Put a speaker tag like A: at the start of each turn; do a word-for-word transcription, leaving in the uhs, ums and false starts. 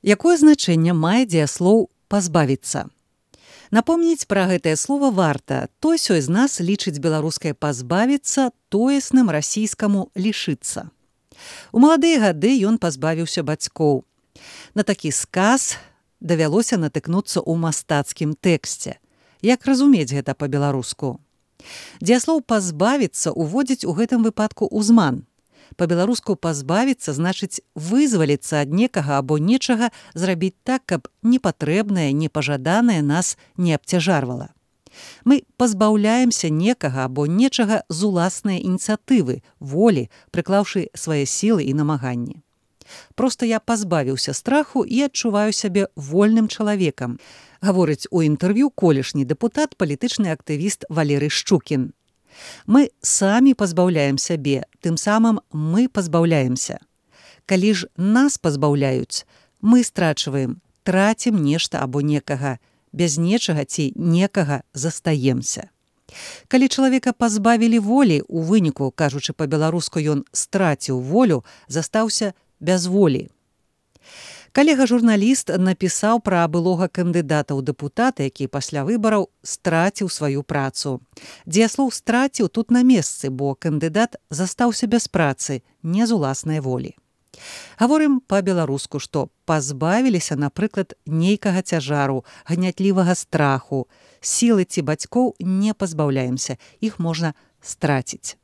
A: Якое значэнне мае дзеяслоў «пазбавіцца»? Напомніць пра гэтае слова варта. Той-сёй з нас лічыць беларускае «пазбавіцца» тоесным расійскаму «лішыцца». У маладыя гады ён пазбавіўся бацькоў. На такі сказ давялося натыкнуцца ў мастацкім тэксце. Як разумець гэта па-беларуску? Дзеяслоў «пазбавіцца» уводзіць у гэтым выпадку ўзман. Па-беларуску «пазбавіцца» значыць вызваліцца ад некага або нечага, зрабіць так, каб непатрэбнае, непажаданае нас не абцяжарвала. Мы пазбаўляемся некага або нечага з уласнай ініцыятывы, волі, прыклаўшы свае сілы і намаганні. Проста я пазбавіўся страху і адчуваю сябе вольным чалавекам, гаворыць у інтэрв'ю колішні дэпутат, палітычны актывіст Валерый Шчукін. Мы самі пазбаўляем сябе, тым самым мы пазбаўляемся. Калі ж нас пазбаўляюць, мы страчваем, трацім нешта або некага, без нечага ці некага застаемся. Калі чалавека пазбавілі волі, у выніку, кажучы па-беларуску, ён страціў волю, застаўся без волі. Калега-журналіст напісаў пра былога кандыдата ў дэпутаты, які пасля выбараў страціў сваю працу. Дзеяслоў «страціў» тут на месцы, бо кандыдат застаўся без працы, не з уласнай волі. Гаворым па-беларуску, што пазбавіліся, напрыклад, нейкага цяжару, гнятлівага страху. Сілы ці бацькоў не пазбаўляемся, іх можна страціць.